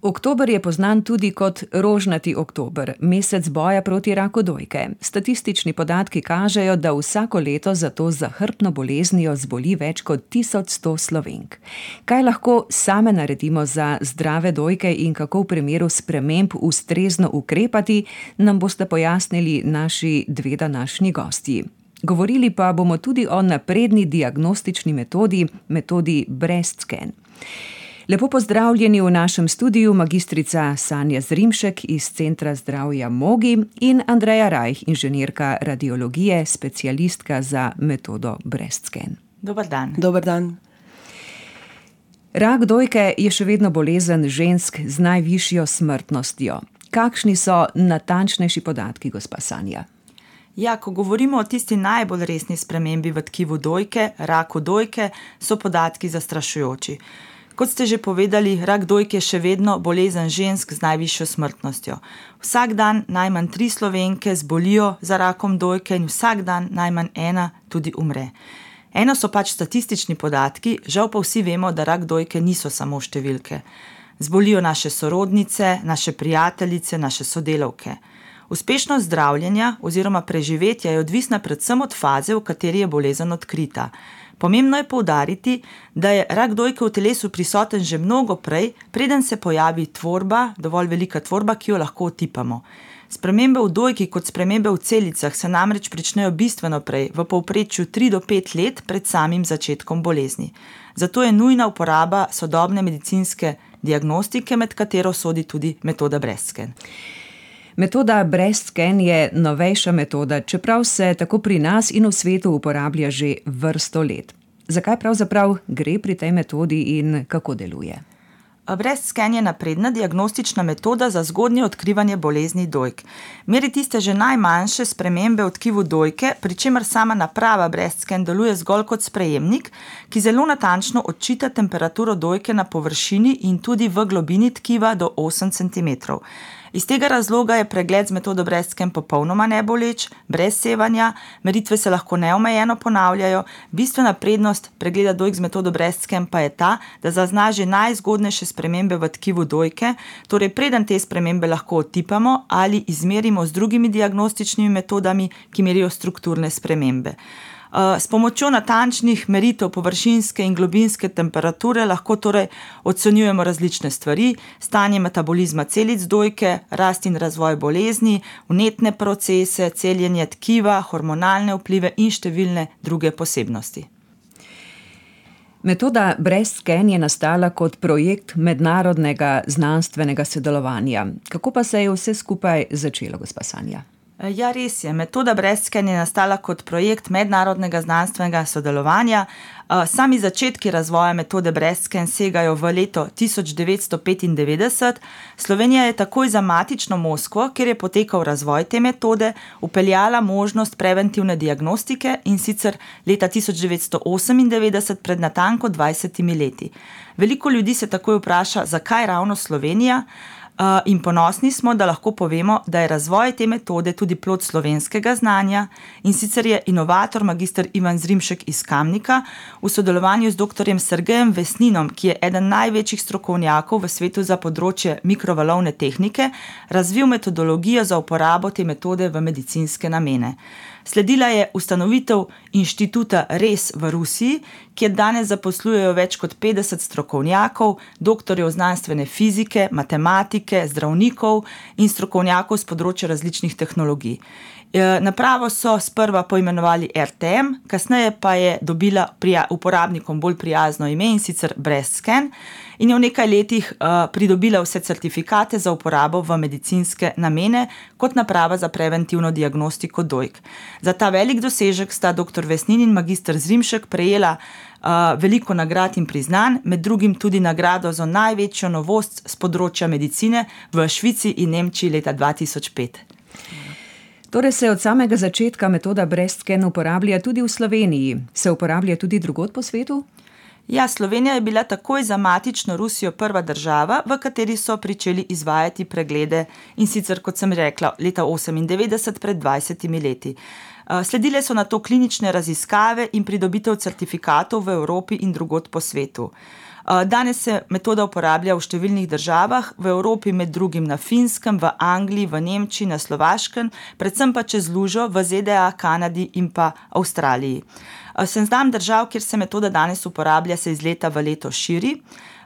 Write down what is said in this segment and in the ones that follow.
Oktober je poznan tudi kot rožnati oktober, mesec boja proti raku dojke. Statistični podatki kažejo, da vsako leto za to zahrbtno boleznijo zboli več kot 1100 Slovenk. Kaj lahko same naredimo za zdrave dojke in kako v primeru sprememb ustrezno ukrepati, nam boste pojasnili naši dve današnji gostji. Govorili pa bomo tudi o napredni diagnostični metodi BreastScan. Lepo pozdravljeni v našem studiu magistrica Sanja Zrimšek iz Centra zdravja Mogi in Andreja Rajh, inženirka radiologije, specialistka za metodo BreastScan. Dober dan. Dober dan. Rak dojke je še vedno bolezen žensk z najvišjo smrtnostjo. Kakšni so natančnejši podatki, gospa Sanja? Ja, ko govorimo o tisti najbolj resni spremembi v tkivu dojke, raku dojke, so podatki zastrašujoči. Kot ste že povedali, rak dojke je še vedno bolezen žensk z najvišjo smrtnostjo. Vsak dan najmanj 3 Slovenke zbolijo za rakom dojke in vsak dan najmanj 1 tudi umre. Eno so pač statistični podatki, žal pa vsi vemo, da rak dojke niso samo številke. Zbolijo naše sorodnice, naše prijateljice, naše sodelavke. Uspešnost zdravljenja oziroma preživetja je odvisna predvsem od faze, v kateri je bolezen odkrita. Pomembno je poudariti, da je rak dojke v telesu prisoten že mnogo prej, preden se pojavi tvorba, dovolj velika tvorba, ki jo lahko otipamo. Spremembe v dojki kot spremembe v celicah se namreč pričnejo bistveno prej, v povprečju 3 do 5 let pred samim začetkom bolezni. Zato je nujna uporaba sodobne medicinske diagnostike, med katero sodi tudi metoda BreastScan. Metoda BreastScan je novejša metoda, čeprav se tako pri nas in v svetu uporablja že vrsto let. Zakaj pravzaprav gre pri tej metodi in kako deluje? BreastScan je napredna diagnostična metoda za zgodnje odkrivanje bolezni dojk. Meri tiste že najmanjše spremembe v tkivu dojke, pri čemer sama naprava BreastScan deluje zgolj kot sprejemnik, ki zelo natančno odčita temperaturo dojke na površini in tudi v globini tkiva do 8 cm. Iz tega razloga je pregled z metodo BreastScan popolnoma neboleč, brez sevanja, meritve se lahko neomejeno ponavljajo. Bistvena prednost pregleda dojk z metodo BreastScan pa je ta, da zazna že najzgodnejše spremembe v tkivu dojke, torej preden te spremembe lahko otipamo ali izmerimo z drugimi diagnostičnimi metodami, ki merijo strukturne spremembe. S pomočjo natančnih meritev površinske in globinske temperature lahko torej ocenjujemo različne stvari, stanje metabolizma celic dojke, rast in razvoj bolezni, vnetne procese, celjenje tkiva, hormonalne vplive in številne druge posebnosti. Metoda BreastScan je nastala kot projekt mednarodnega znanstvenega sodelovanja. Kako pa se je vse skupaj začelo, gospa Sanja? Ja, res je. Metoda BreastScan je nastala kot projekt mednarodnega znanstvenega sodelovanja. Sami začetki razvoja metode BreastScan segajo v leto 1995. Slovenija je takoj za matično Moskvo, kjer je potekal razvoj te metode, vpeljala možnost preventivne diagnostike in sicer leta 1998 pred natanko 20 leti. Veliko ljudi se takoj vpraša, zakaj ravno Slovenija? In ponosni smo, da lahko povemo, da je razvoj te metode tudi plod slovenskega znanja in sicer je inovator magister Ivan Zrimšek iz Kamnika v sodelovanju z doktorjem Sergejem Vesninom, ki je eden največjih strokovnjakov v svetu za področje mikrovalovne tehnike, razvil metodologijo za uporabo te metode v medicinske namene. Sledila je ustanovitev inštituta RES v Rusiji, kjer danes zaposlujejo več kot 50 strokovnjakov, doktorjev znanstvene fizike, matematike, zdravnikov in strokovnjakov z področja različnih tehnologij. Napravo so sprva poimenovali RTM, kasneje pa je dobila uporabnikom bolj prijazno ime in sicer BreastScan in je v nekaj letih pridobila vse certifikate za uporabo v medicinske namene kot naprava za preventivno diagnostiko dojk. Za ta velik dosežek sta dr. Vesnin in magister Zrimšek prejela veliko nagrad in priznanj, med drugim tudi nagrado za največjo novost z področja medicine v Švici in Nemčiji leta 2005. Torej se od samega začetka metoda BreastScan uporablja tudi v Sloveniji. Se uporablja tudi drugod po svetu? Ja, Slovenija je bila takoj za matično Rusijo prva država, v kateri so pričeli izvajati preglede in sicer, kot sem rekla, leta 1998 pred 20 leti. Sledile so nato klinične raziskave in pridobitev certifikatov v Evropi in drugod po svetu. Danes se metoda uporablja v številnih državah, v Evropi med drugim na Finskem, v Angliji, v Nemčiji, na Slovaškem, predvsem pa čez lužo v ZDA, Kanadi in pa Avstraliji. Seznam držav, kjer se metoda danes uporablja, se iz leta v leto širi.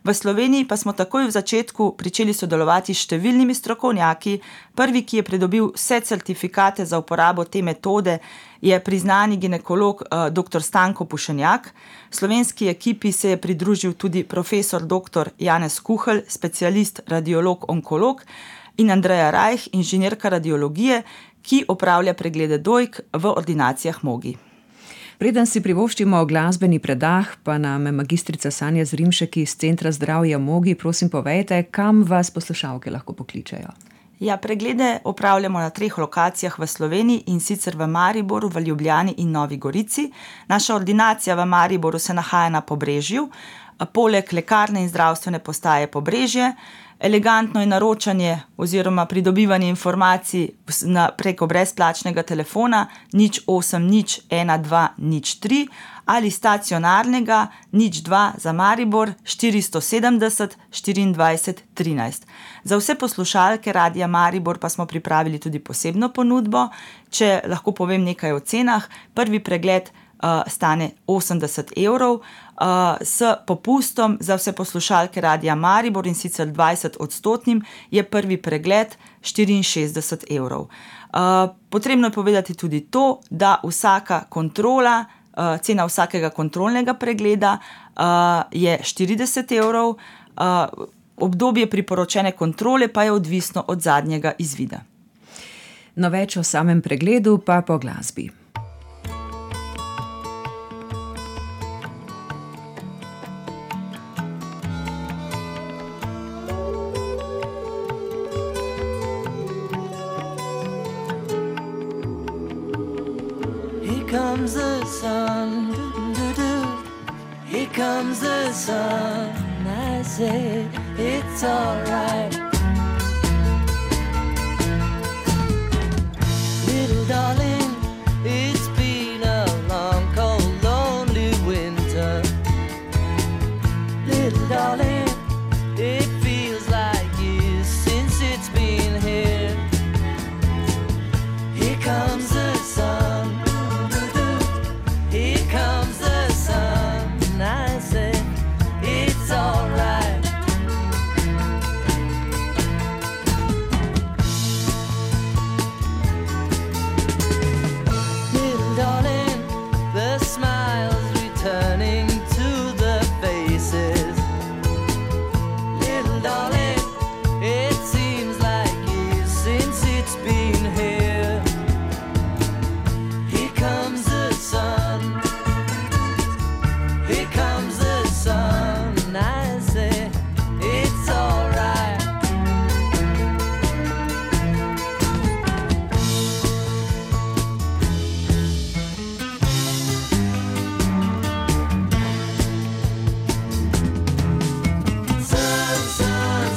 V Sloveniji pa smo takoj v začetku pričeli sodelovati s številnimi strokovnjaki. Prvi, ki je pridobil vse certifikate za uporabo te metode, je priznani ginekolog dr. Stanko Pušenjak. Slovenski ekipi se je pridružil tudi profesor dr. Janez Kuhelj, specialist radiolog-onkolog, in Andreja Rajh, inženirka radiologije, ki opravlja preglede dojk v ordinacijah Mogi. Preden si privoščimo glasbeni predah, pa nam magistrica Sanja Zrimšek iz Centra zdravja Mogi, prosim povejte, kam vas poslušalke lahko pokličejo? Ja, preglede opravljamo na 3 lokacijah v Sloveniji, in sicer v Mariboru, v Ljubljani in Novi Gorici. Naša ordinacija v Mariboru se nahaja na Pobrežju, poleg lekarne in zdravstvene postaje Pobrežje. Elegantno je naročanje oziroma pridobivanje informacij preko brezplačnega telefona 0800 1203 ali stacionarnega 02 za Maribor 470 24 13. Za vse poslušalke Radia Maribor pa smo pripravili tudi posebno ponudbo. Če lahko povem nekaj o cenah, prvi pregled stane 80 €, s popustom za vse poslušalke Radia Maribor, in sicer 20% je prvi pregled 64 €. Potrebno je povedati tudi to, da vsaka kontrola, cena vsakega kontrolnega pregleda je 40 €, obdobje priporočene kontrole pa je odvisno od zadnjega izvida. No, več o samem pregledu pa po glasbi. Comes the sun, here comes the sun, I say it's all right. Little darling, it's been a long, cold, lonely winter. Little darling, it feels like years since it's been here. Here comes the sun, here comes the sun, I say it's all right. Little darling, the smiles returning to the faces. Little darling, it seems like years since it's been here. Here comes the sun, here comes the sun, I say it's all right. Sun, sun,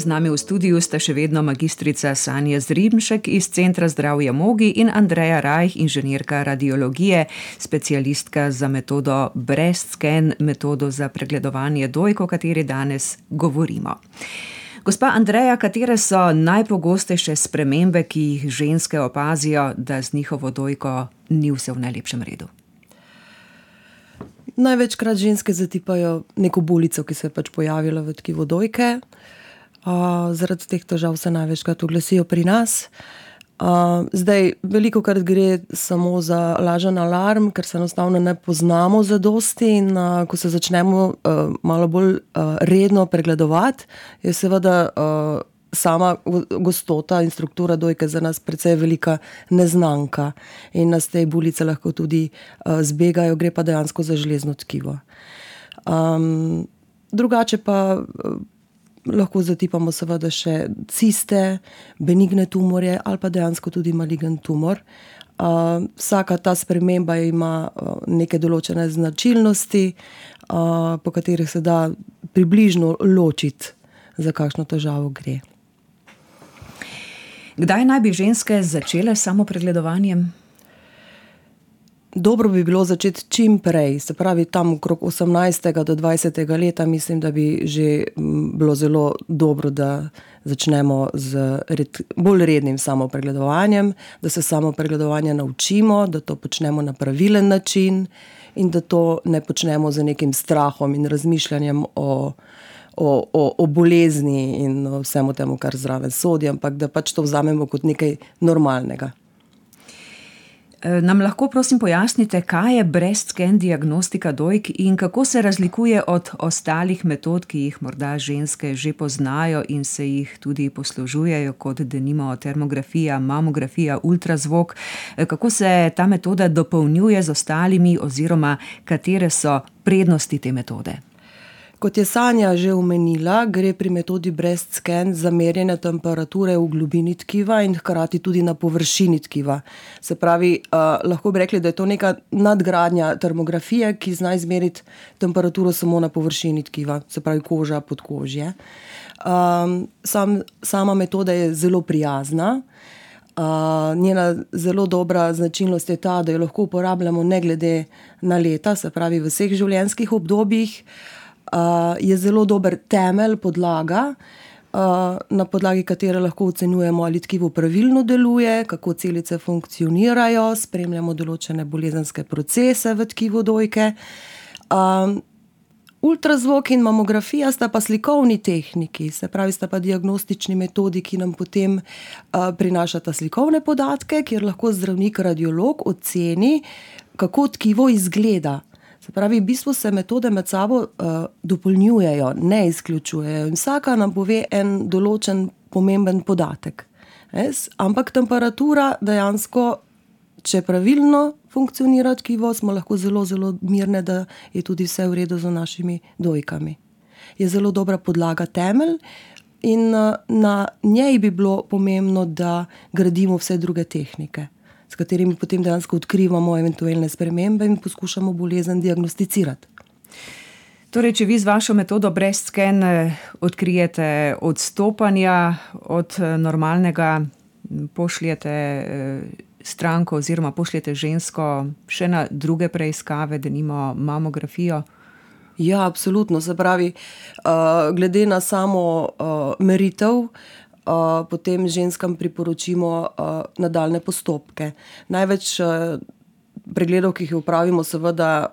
Z nami v studiu sta še vedno magistrica Sanja Zrimšek iz Centra zdravja Mogi in Andreja Rajh, inženirka radiologije, specialistka za metodo Breast Scan, metodo za pregledovanje dojk, o kateri danes govorimo. Gospa Andreja, katere so najpogostejše spremembe, ki jih ženske opazijo, da z njihovo dojko ni vse v najlepšem redu? Največkrat ženske zatipajo neko bulico, ki se je pač pojavila v tkivu dojke. Zaradi teh težav se največkrat oglasijo pri nas. Zdaj, velikokrat gre samo za lažen alarm, ker se enostavno ne poznamo zadosti in ko se začnemo malo bolj redno pregledovati, je seveda sama gostota in struktura dojke za nas precej velika neznanka in nas te bulice lahko tudi zbegajo, gre pa dejansko za železno tkivo. Drugače pa lahko zatipamo seveda še ciste, benigne tumorje ali pa dejansko tudi maligen tumor. Vsaka ta sprememba ima neke določene značilnosti, po katerih se da približno ločiti, za kakšno težavo gre. Kdaj naj bi ženske začele s samopregledovanjem? Dobro bi bilo začeti čim prej, se pravi tam okrog 18. do 20. leta, mislim, da bi že bilo zelo dobro, da začnemo z bolj rednim samopregledovanjem, da se samopregledovanja naučimo, da to počnemo na pravilen način in da to ne počnemo z nekim strahom in razmišljanjem o bolezni in o vsemu temu, kar zraven sodi, ampak da pač to vzamemo kot nekaj normalnega. Nam lahko prosim pojasnite, kaj je breast scan diagnostika dojk in kako se razlikuje od ostalih metod, ki jih morda ženske že poznajo in se jih tudi poslužujejo, kot denimo termografija, mamografija, ultrazvok. Kako se ta metoda dopolnjuje z ostalimi oziroma katere so prednosti te metode? Kot je Sanja že omenila, gre pri metodi breast scan za merjenje temperature v globini tkiva in hkrati tudi na površini tkiva. Se pravi, lahko bi rekli, da je to neka nadgradnja termografije, ki zna izmeriti temperaturo samo na površini tkiva, se pravi koža, podkožje. Sama metoda je zelo prijazna. Njena zelo dobra značilnost je ta, da jo lahko uporabljamo ne glede na leta, se pravi v vseh življenjskih obdobjih. Je zelo dober temelj, podlaga, na podlagi katere lahko ocenjujemo, ali tkivo pravilno deluje, kako celice funkcionirajo, spremljamo določene bolezenske procese v tkivu dojke. Ultrazvok in mamografija sta pa slikovni tehniki, se pravi sta pa diagnostični metodi, ki nam potem prinašata slikovne podatke, kjer lahko zdravnik, radiolog oceni, kako tkivo izgleda. Se pravi, v bistvu se metode med sabo dopolnjujejo, ne izključujejo in vsaka nam pove en določen pomemben podatek. Ampak temperatura dejansko, če pravilno funkcionira tkivo, smo lahko zelo, zelo mirne, da je tudi vse v redu z našimi dojkami. Je zelo dobra podlaga, temelj in na njej bi bilo pomembno, da gradimo vse druge tehnike, s katerimi potem dejansko odkrivamo eventualne spremembe in poskušamo bolezen diagnosticirati. Torej, če vi z vašo metodo breast scan odkrijete odstopanja od normalnega, pošljete stranko oziroma pošljete žensko še na druge preiskave, denimo mamografijo? Ja, absolutno. Se pravi, glede na samo meritev, potem ženskam priporočimo nadaljne postopke. Največ pregledov, ki jih upravimo, seveda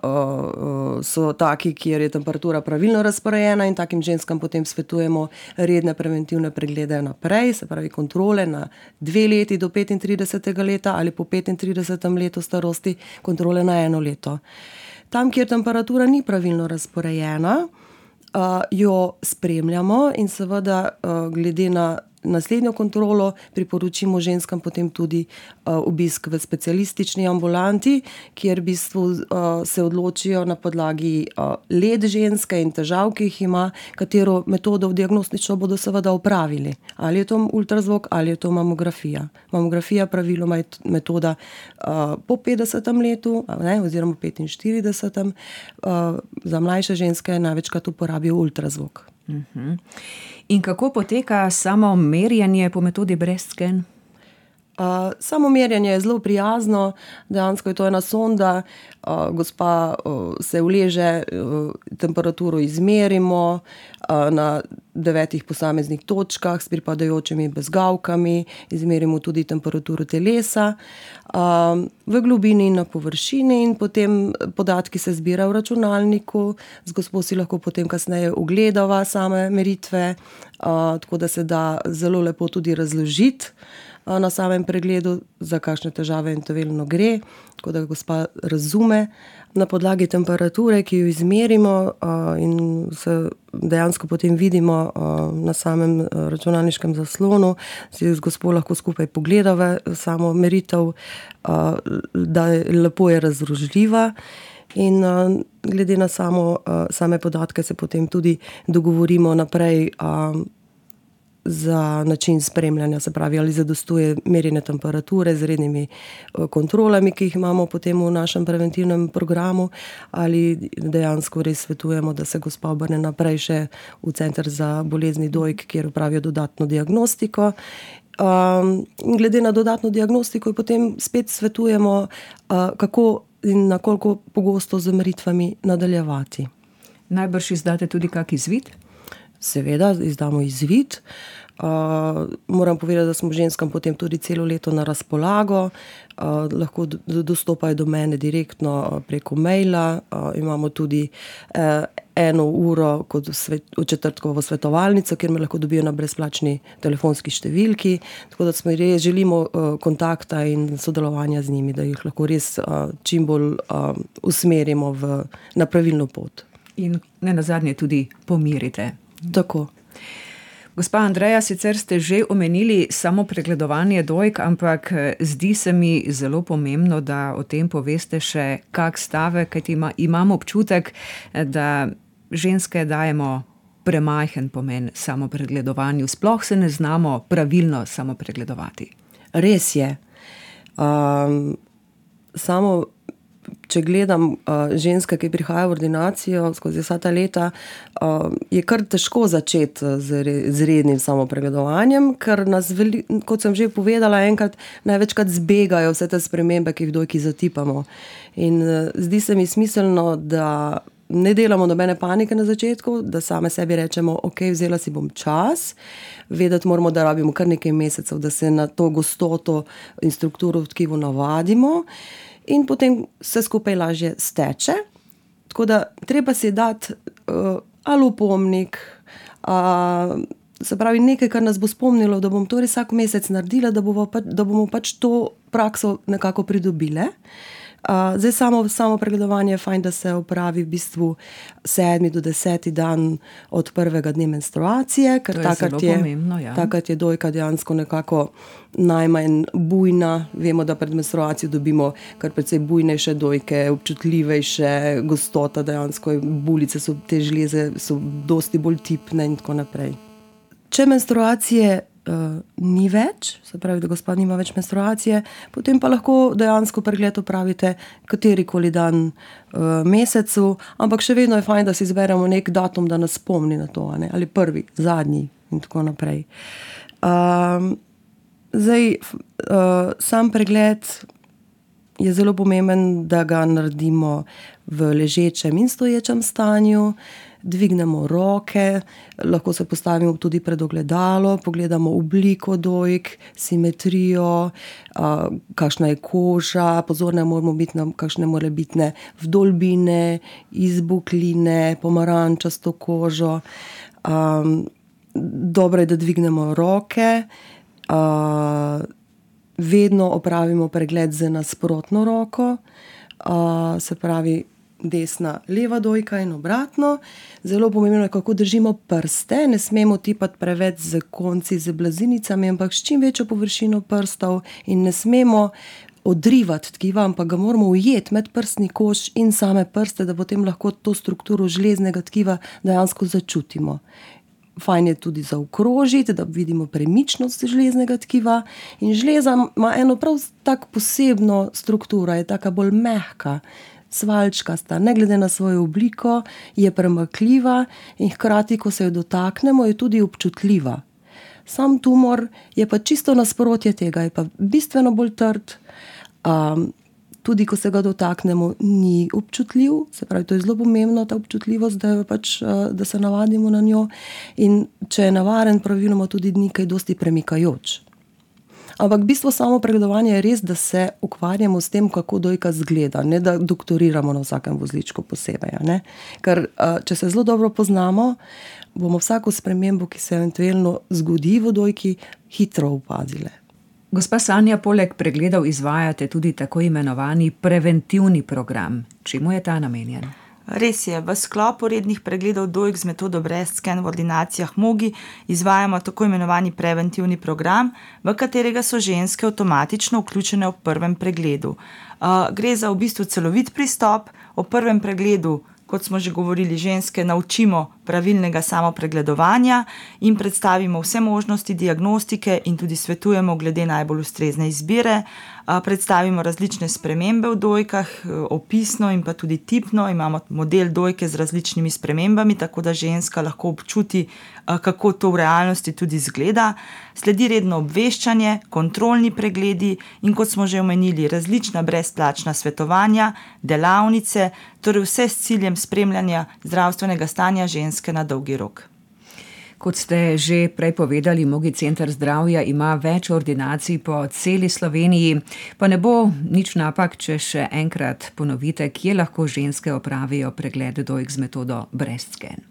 so taki, kjer je temperatura pravilno razporejena in takim ženskam potem svetujemo redne preventivne preglede naprej, se pravi kontrole na 2 leti do 35. leta ali po 35. letu starosti kontrole na 1 leto. Tam, kjer temperatura ni pravilno razporejena, jo spremljamo in seveda glede na naslednjo kontrolo priporočimo ženskam potem tudi obisk v specialistični ambulanti, kjer v bistvu se odločijo na podlagi let ženske in težav, ki jih ima, katero metodo diagnostično bodo seveda opravili. Ali je to ultrazvok ali je to mamografija. Mamografija praviloma je metoda po 50. letu, oziroma 45. Za mlajše ženske največkrat uporabijo ultrazvok. In kako poteka samo merjenje po metodi BreastScan? Samo merjenje je zelo prijazno, dejansko je to ena sonda, gospa se uleže, temperaturo izmerimo na 9 posameznih točkah s pripadajočimi bezgavkami, izmerimo tudi temperaturo telesa v globini in na površini in potem podatki se zbirajo v računalniku, z gospo si lahko potem kasneje ogledava same meritve, tako da se da zelo lepo tudi razložiti na samem pregledu, za kakšne težave eventualno gre, tako da gospa razume. Na podlagi temperature, ki jo izmerimo in se dejansko potem vidimo na samem računalniškem zaslonu, si z gospo lahko skupaj pogledava samo meritev, da lepo je razložljiva. In glede na same podatke se potem tudi dogovorimo naprej za način spremljanja, se pravi, ali zadostuje merjenje temperature z rednimi kontrolami, ki jih imamo potem v našem preventivnem programu, ali dejansko res svetujemo, da se gospa obrne naprej še v center za bolezni dojk, kjer opravijo dodatno diagnostiko. In glede na dodatno diagnostiko potem spet svetujemo, kako in na koliko pogosto z meritvami nadaljevati. Najbrž izdate tudi kak izvid? Seveda, izdamo izvid. Moram povedati, da smo ženskam potem tudi celo leto na razpolago. Lahko dostopajo do mene direktno preko maila. Imamo tudi 1 uro kot v četrtkovo svetovalnico, kjer me lahko dobijo na brezplačni telefonski številki. Tako da smo res želimo kontakta in sodelovanja z njimi, da jih lahko res čim bolj usmerimo na pravilno pot. In nenazadnje tudi pomirite. Tako. Gospa Andreja, sicer ste že omenili samo pregledovanje dojk, ampak zdi se mi zelo pomembno, da o tem poveste še kak stavek, kajti imam občutek, da ženske dajemo premajhen pomen samopregledovanju, sploh se ne znamo pravilno samopregledovati. Res je. Če gledam ženske, ki prihajajo v ordinacijo skozi vsa ta leta, je kar težko začeti z rednim samopregledovanjem, ker nas, kot sem že povedala enkrat, največkrat zbegajo vse te spremembe, ki jih dojki zatipamo. In zdi se mi smiselno, da ne delamo nobene panike na začetku, da same sebi rečemo, ok, vzela si bom čas, vedeti moramo, da rabimo kar nekaj mesecev, da se na to gostoto in strukturo v tkivu navadimo. In potem vse skupaj lažje steče. Tako da treba si dati ali opomnik, se pravi nekaj, kar nas bo spomnilo, da bom to res vsak mesec naredila, da bomo pač to prakso nekako pridobile. Zdaj samo pregledovanje je fajn, da se opravi v bistvu 7. do 10. dan od prvega dne menstruacije, ker takrat je dojka dejansko nekako najmanj bujna. Vemo, da pred menstruacijo dobimo kar precej bujnejše dojke, občutljivejše, gostota dejansko, bulice so, te žleze so dosti bolj tipne in tako naprej. Če menstruacije ni več, se pravi, da gospa nima več menstruacije, potem pa lahko dejansko pregled opravite katerikoli dan mesecu, ampak še vedno je fajn, da si izberemo nek datum, da nas spomni na to, ne? Ali prvi, zadnji in tako naprej. Sam pregled je zelo pomemben, da ga naredimo v ležečem in stoječem stanju, dvignemo roke, lahko se postavimo tudi pred ogledalo, pogledamo obliko dojk, simetrijo, kakšna je koža, pozorne moramo biti na kakšne morebitne vdolbine, izbukline, pomarančasto kožo. Dobro je, da dvignemo roke, vedno opravimo pregled z nasprotno roko, se pravi desna, leva dojka in obratno. Zelo pomembno je, kako držimo prste, ne smemo tipati preveč z konci, z blazinicami, ampak s čim večjo površino prstov in ne smemo odrivati tkiva, ampak ga moramo ujeti med prstni koš in same prste, da potem lahko to strukturo žleznega tkiva dejansko začutimo. Fajn je tudi zaokrožiti, da vidimo premičnost žleznega tkiva in žleza ima eno prav tako posebno strukturo, je taka bolj mehka. svaljčkasta, ne glede na svojo obliko, je premakljiva in hkrati, ko se jo dotaknemo, je tudi občutljiva. Sam tumor je pa čisto nasprotje tega, je pa bistveno bolj trd, tudi ko se ga dotaknemo, ni občutljiv, se pravi, to je zelo pomembno, ta občutljivost, da se navadimo na njo, in če je nevaren, praviloma tudi ni kaj dosti premikajoč. Ampak bistvo samo pregledovanja je res, da se ukvarjamo s tem, kako dojka zgleda, ne da doktoriramo na vsakem vozličku posebej. Ne? Ker če se zelo dobro poznamo, bomo vsako spremembo, ki se eventualno zgodi v dojki, hitro opazile. Gospa Sanja, poleg pregledov izvajate tudi tako imenovani preventivni program. Čemu je ta namenjen? Res je, v sklopu rednih pregledov dojk z metodo breast scan v ordinacijah Mogi izvajamo tako imenovani preventivni program, v katerega so ženske avtomatično vključene v prvem pregledu. Gre za v bistvu celovit pristop. O prvem pregledu, kot smo že govorili, ženske naučimo pravilnega samopregledovanja in predstavimo vse možnosti diagnostike in tudi svetujemo glede najbolj ustrezne izbire. Predstavimo različne spremembe v dojkah, opisno in pa tudi tipno. Imamo model dojke z različnimi spremembami, tako da ženska lahko občuti, kako to v realnosti tudi izgleda. Sledi redno obveščanje, kontrolni pregledi in, kot smo že omenili, različna brezplačna svetovanja, delavnice, torej vse s ciljem spremljanja zdravstvenega stanja ženske na dolgi rok. Kot ste že prej povedali, Mogi center zdravja ima več ordinacij po celi Sloveniji, pa ne bo nič napak, če še enkrat ponovite, kje lahko ženske opravijo pregled dojk z metodo breast scan.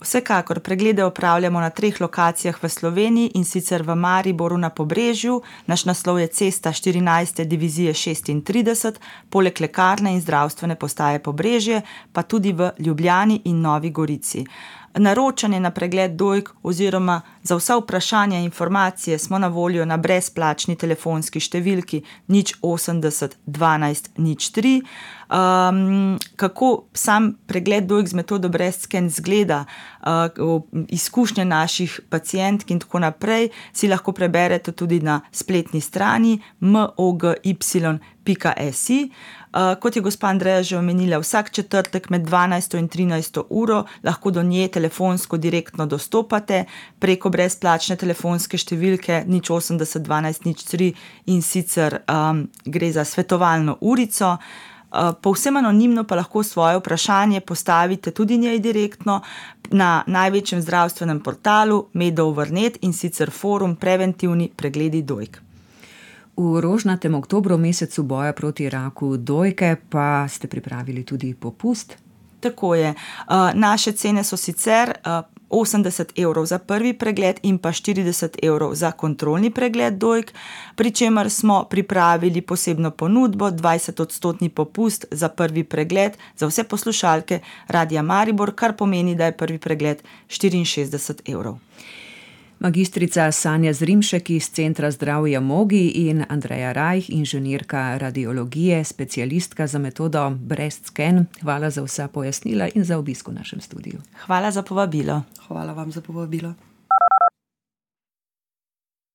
Vsekakor preglede opravljamo na 3 lokacijah v Sloveniji, in sicer v Mariboru na Pobrežju, naš naslov je Cesta 14. divizije 36, poleg lekarne in zdravstvene postaje Pobrežje, pa tudi v Ljubljani in Novi Gorici. Naročanje na pregled dojk oziroma za vsa vprašanja in informacije smo na voljo na brezplačni telefonski številki 080 12 03. Kako sam pregled dojk z metodo breast scan zgleda, izkušnje naših pacientk in tako naprej, si lahko preberete tudi na spletni strani mogy.si. Kot je gospa Andreja že omenila, vsak četrtek med 12. in 13. uro lahko do nje telefonsko direktno dostopate preko brezplačne telefonske številke 080 12 03, in sicer gre za svetovalno urico. Povsem anonimno pa lahko svoje vprašanje postavite tudi njej direktno na največjem zdravstvenem portalu Medover.net, in sicer forum Preventivni pregledi dojk. V rožnatem oktobru, mesecu boja proti raku dojke, pa ste pripravili tudi popust. Tako je. Naše cene so sicer 80 € za prvi pregled in pa 40 € za kontrolni pregled dojk, pri čemer smo pripravili posebno ponudbo, 20% popust za prvi pregled za vse poslušalke Radia Maribor, kar pomeni, da je prvi pregled 64 €. Magistrica Sanja Zrimšek iz Centra zdravja Mogi in Andreja Rajh, inženirka radiologije, specialistka za metodo breast scan. Hvala za vsa pojasnila in za obisk v našem studiu. Hvala za povabilo. Hvala vam za povabilo.